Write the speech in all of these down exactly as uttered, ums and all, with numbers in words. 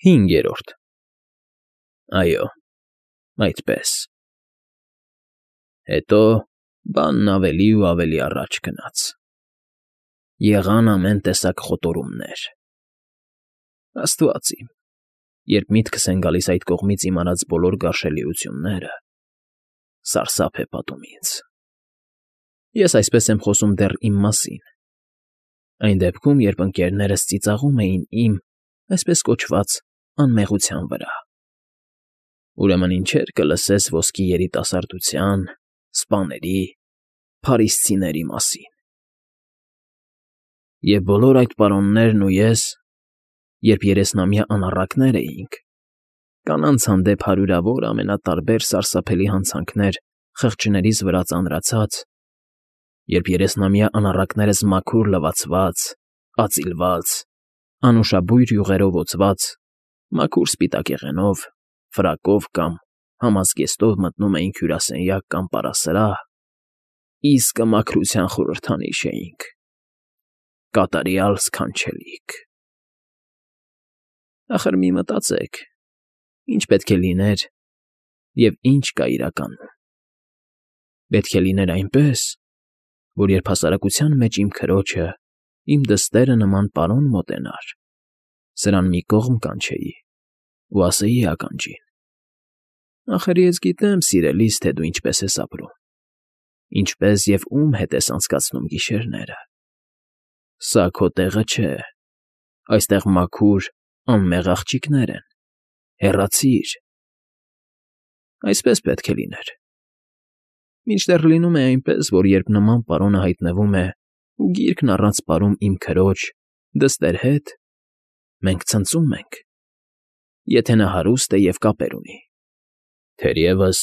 Հինգերորդ Այո, այդպես… Հետո բանն ավելի ու ավելի առաջ գնաց, եղան ամեն տեսակ խոտորումներ… Աստված իմ, երբ միտքս են գալիս այդ կողմից իմանած բոլոր գարշելիությունները, սարսափ է պատում ինձ… Ես այսպես եմ խոսում դեռ իմ մասին, այն դեպքում, երբ ընկներներս ծիծաղում էին իմ, այսպես կոչված, անմեղության վրա… Ուրեմն ինչեր կլսես ոսկի երիտասարդության, սպաների, փարիսցիների մասին… Եվ բոլոր այդ պարոններն ու ես, երբ երեսնամյա անառակներ էինք, կանանց հանդեպ հարյուրավոր ամենատարբեր սարսափելի հանցանքներ խղճներիս վրա ծանրացած, երբ երեսնամյա անառակներս մաքուր լվացված, ածիլված, անուշաբույր յուղերով օծված, մաքուր սպիտակեղենով, ֆրակով կամ համազգեստով մտնում էինք հյուրասենյակ կամ պարասրահ, իսկը մաքրության խորհրդանիշ էինք, կատարյալ սքանչելիք… Ախր մի մտածեք, ինչ պետք է լիներ և ինչ կա իրականում… Պետք է լիներ այնպես, որ երբ հասարակության մեջ իմ քրոջը, իմ դստերը նման պարոն մոտենար, սրան մի կողմ կանչեի ու ասեի ականջին. «Ախր ես գիտեմ, սիրելիս, թե դու ինչպես ես ապրում, ինչպես և ում հետ ես անցկացնում գիշերները… Սա քո տեղը չէ, այստեղ մաքուր, անմեղ աղջիկներ են, հեռացիր…» Այսպես պետք է լիներ… Մինչդեռ լինում է այնպես, որ երբ նման պարոնը հայտնվում է ու գիրկն առանց պարում իմ քրոջ, դստեր հետ, մենք ցնծում ենք, եթե նա հարուստ է և կապեր ունի… Թերևս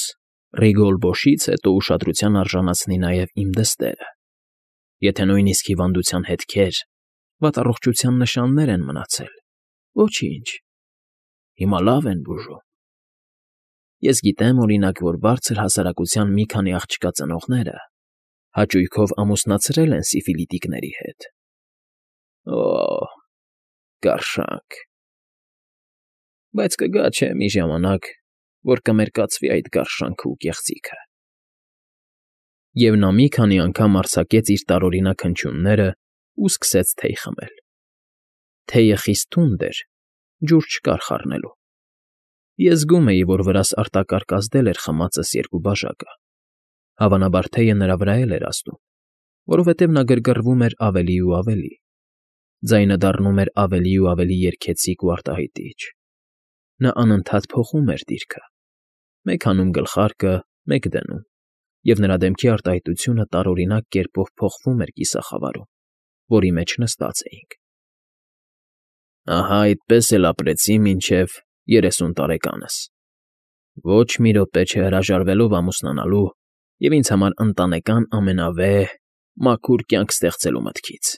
Ռիգոլբոշից հետո ուշադրության արժանացնի նաև իմ դստերը, եթե նույնիսկ հիվանդության հետքեր, վատառողջության նշաններ են մնացել, ոչինչ, հիմա լավ են բուժում… Ես գիտեմ, օրինակ, որ բարձր հասարակության մի քանի աղջկա ծնողները հաճույքով ամուսնացրել են սիֆիլիտիկների հետ… Օ՜, գարշանք… Բայց կգա, չէ՞, մի ժամանակ, որ կմերկացվի այդ գարշանքն ու կեղծիքը… Եվ նա մի քանի անգամ արձակեց իր տարօրինակ հնչյուններն ու սկսեց թեյ խմել… Թեյը խիստ թունդ էր, ջուր չկար խառնելու… Ես զգում էի, որ վրաս արտակարգ ազդել էր խմածս երկու բաժակը, հավանաբար թեյը նրա վրա էլ էր ազդում, որովհետև նա գրգռվում էր ավելի ու ավելի, ձայնը դառնում էր ավելի ու ավելի երգեցիկ ու արտահայտիչ… Նա անընդհատ փոխում էր դիրքը, մեկ հանում գլխարկը, մեկ դնում, և նրա դեմքի արտահայտությունը տարօրինակ կերպով փոխվում էր կիսախավարում, որի մեջ նստած էինք… Ահա այդպես էլ ապրեցի մինչև երեսուն տարեկանս, ոչ մի րոպե չհրաժարվելով ամուսնանալու և ինձ համար ընտանեկան ամենավեհ, մաքուր կյանք ստեղծելու մտքից…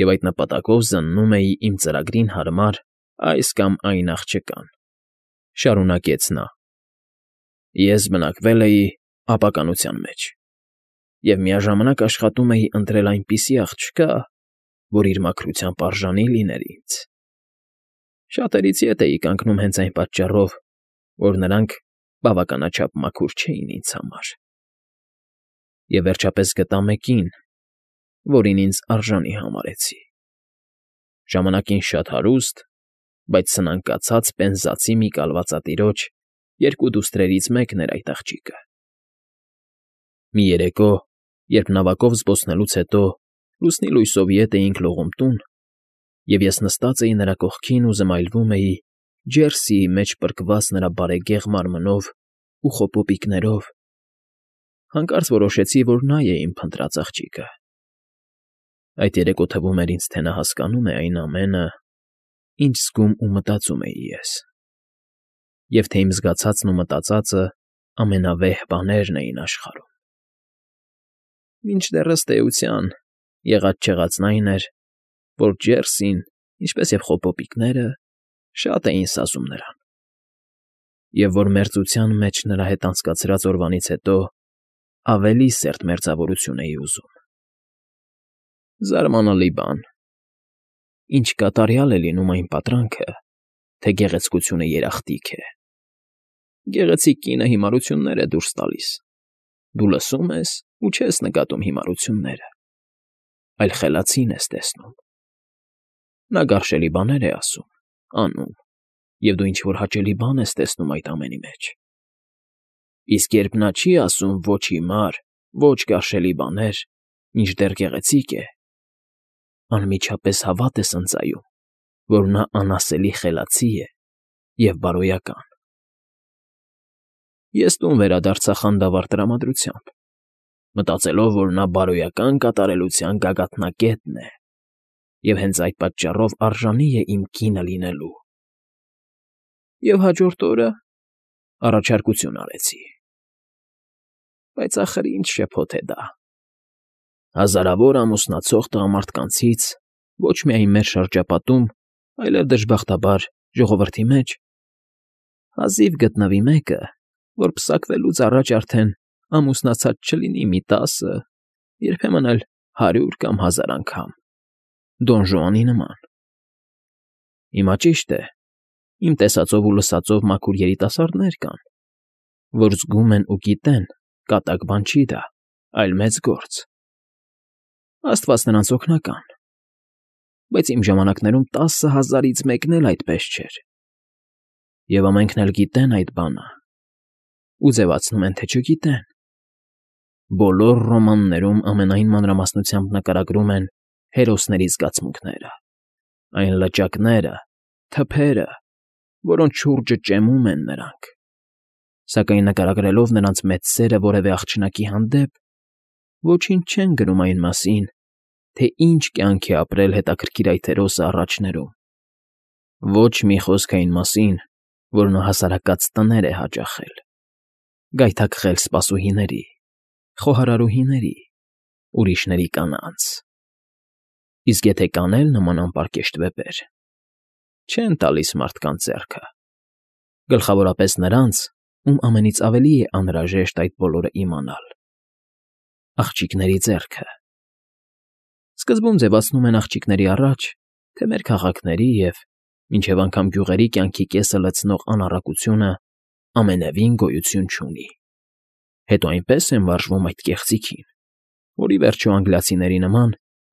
Եվ այդ նպատակով զննում էի իմ ծրագրին հարմար այս կամ այն աղջկան, շարունակեց նա… Ես բնակվել էի ապականության մեջ և միաժամանակ աշխատում էի ընտրել այնպիսի աղջկա, որ իր մաքրությամբ արժանի լիներ ինձ… Շատերից ետ էի կանգնում հենց այն պատճառով, որ նրանք բավականաչափ մաքուր չէին ինձ համար… Եվ վերջապես գտա մեկին, որին ինձ արժանի համարեցի… Ժամանակին շատ հարուստ, բայց սնանկացած պենզացի մի կալվածատիրոջ երկու դուստրերից մեկն էր այդ աղջիկը… Մի երեկո, երբ նավակով զբոսնելուց հետո լուսնի լույսով ետ էինք լողում տուն, և ես նստած էի նրա կողքին ու զմայլվում էի Ջերսիի մեջ պրկված նրա բարեգեղ մարմնով ու խոպոպիկներով, հանկարծ որոշեցի, որ նա է իմ փնտրած աղջիկը… Այդ երեկո թվում էր ինձ, թե նա հասկանում է այն ամենը, ինչ զգում ու մտածում էի ես… Եվ թե իմ զգացածն ու մտածածը ամենավեհ բաներն էին աշխարհում… Մինչդեռ, ըստ էության, եղած֊չեղածն այն էր, որ Ջերսին, ինչպես և խոպոպիկները, շատ էին սազում նրան… Եվ որ մերձության մեջ նրա հետ անցկացրած օրվանից հետո ավելի սերտ մերձավորություն էի ուզում… Զարմանալի բան, ինչ կատարյալ է լինում այն պատրանքը, թե գեղեցկությունը երախտիկ է։ Գեղեցիկ կինը հիմարություններ է դուրս տալիս։ Դու լսում ես ու չես նկատում հիմարությունները, այլ խելացին ես տեսնում։ Նա գարշելի բաներ է ասում, անում, և դու ինչ֊որ հաճելի բան ես տեսնում այդ ամենի մեջ։ Իսկ երբ նա չի ասում ոչ հիմար, ոչ գարշելի բաներ, մինչդեռ գեղեցիկ է, անմիջապես հավատ ես ընծայում, որ նա անասելի խելացի է և բարոյական։ Ես տուն վերադարձա խանդավառ տրամադրությամբ, մտածելով, որ նա բարոյական կատարելության գագաթնակետն է և հենց այդ պատճառով արժանի է իմ կինը լինելու։ Եվ հաջորդ օրը առաջարկություն արեցի։ Բայց ախր ինչ շփոթ է դա… Հազարավոր ամուսնացող տղամարդկանցից ոչ միայն մեր շրջապատում, այլև, դժբախտաբար, ժողովրդի մեջ հազիվ գտնվի մեկը, որ պսակվելուց առաջ արդեն ամուսնացած չլինի մի տասը, երբեմն էլ հարյուր կամ հազար անգամ, Դոն Ժուանի նման։ Հիմա ճիշտ է, իմ տեսածով ու լսածով մաքուր երիտասարդներ կան, որ զգում են ու գիտեն՝ կատակ բան չի դա, այլ մեծ գործ։ Աստված նրանց օգնական։ Բայց իմ ժամանակներում տասը հազարից մեկն էլ այդպես չէր։ Եվ ամենքն էլ գիտեն այդ բանը ու ձևացնում են, թե չգիտեն։ Բոլոր ռոմաններում ամենայն մանրամասնությամբ նկարագրում են հերոսների զգացմունքները, այն լճակները, թփերը, որոնց շուրջը ճեմում են նրանք, սակայն նկարագրելով նրանց մեծ սերը որևէ աղջնակի հանդեպ, ոչինչ չեն գրում այն մասին, թե ինչ կյանք է ապրել հետաքրքիր այդ հերոսը առաջներում, ոչ մի խոսք այն մասին, որ նա հասարակած տներ է հաճախել, գայթակղել սպասուհիների, խոհարարուհիների, ուրիշների կանանց։ Իսկ եթե կանել նման անպարկեշտ վեպեր, չեն տալիս մարդկանց ձեռքը, գլխավորապես նրանց, ում ամենից ավելի է անհրաժեշտ այդ բոլորը իմանալ. աղջիկների ձեռքը։ Սկզբում ձևացնում են աղջիկների առաջ, թե մեր քաղաքների և մինչև անգամ գյուղերի կյանքի կեսը լցնող անառակությունը ամենևին գոյություն չունի։ Հետո այնպես են վարժվում այդ կեղծիքին, որ ի վերջո անգլիացիների նման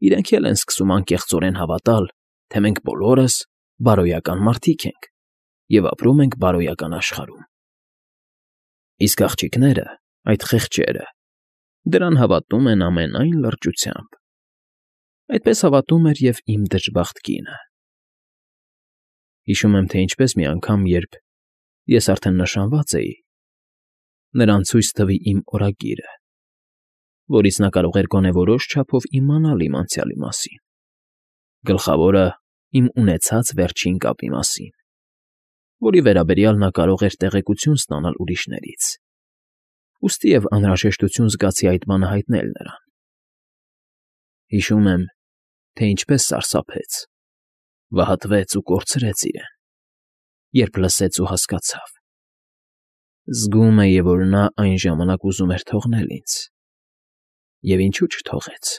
իրենք էլ են սկսում անկեղծորեն հավատալ, թե մենք բոլորս բարոյական մարդիկ ենք և ապրում ենք բարոյական աշխարհում։ Իսկ աղջիկները, այդ խեղճերը, դրան հավատում են ամենայն լրջությամբ։ Այդպես հավատում էր և իմ դժբախտ կինը։ Հիշում եմ, թե ինչպես մի անգամ, երբ ես արդեն նշանված էի, նրան ցույց տվի իմ օրագիրը, որից նա կարող էր գոնե որոշ չափով իմանալ իմ անցյալի մասին, գլխավորը իմ ունեցած վերջին կապի մասին, որի վերաբերյալ նա կարող էր տեղեկություն ստանալ ուրիշներից, ուստիև անհրաժեշտություն զգացի այդ բանը հայտնել նրան։ Հիշում եմ, թե ինչպես սարսափեց, վհատվեց ու կորցրեց իրեն, երբ լսեց ու հասկացավ։ Զգում էի, որ նա այն ժամանակ ուզում էր թողնել ինձ, և ինչու չթողեց։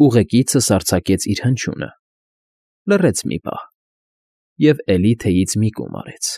Ուղեկիցս արձակեց իր հնչյունը, լռեց մի պահ և էլի թեյից մի կում արեց։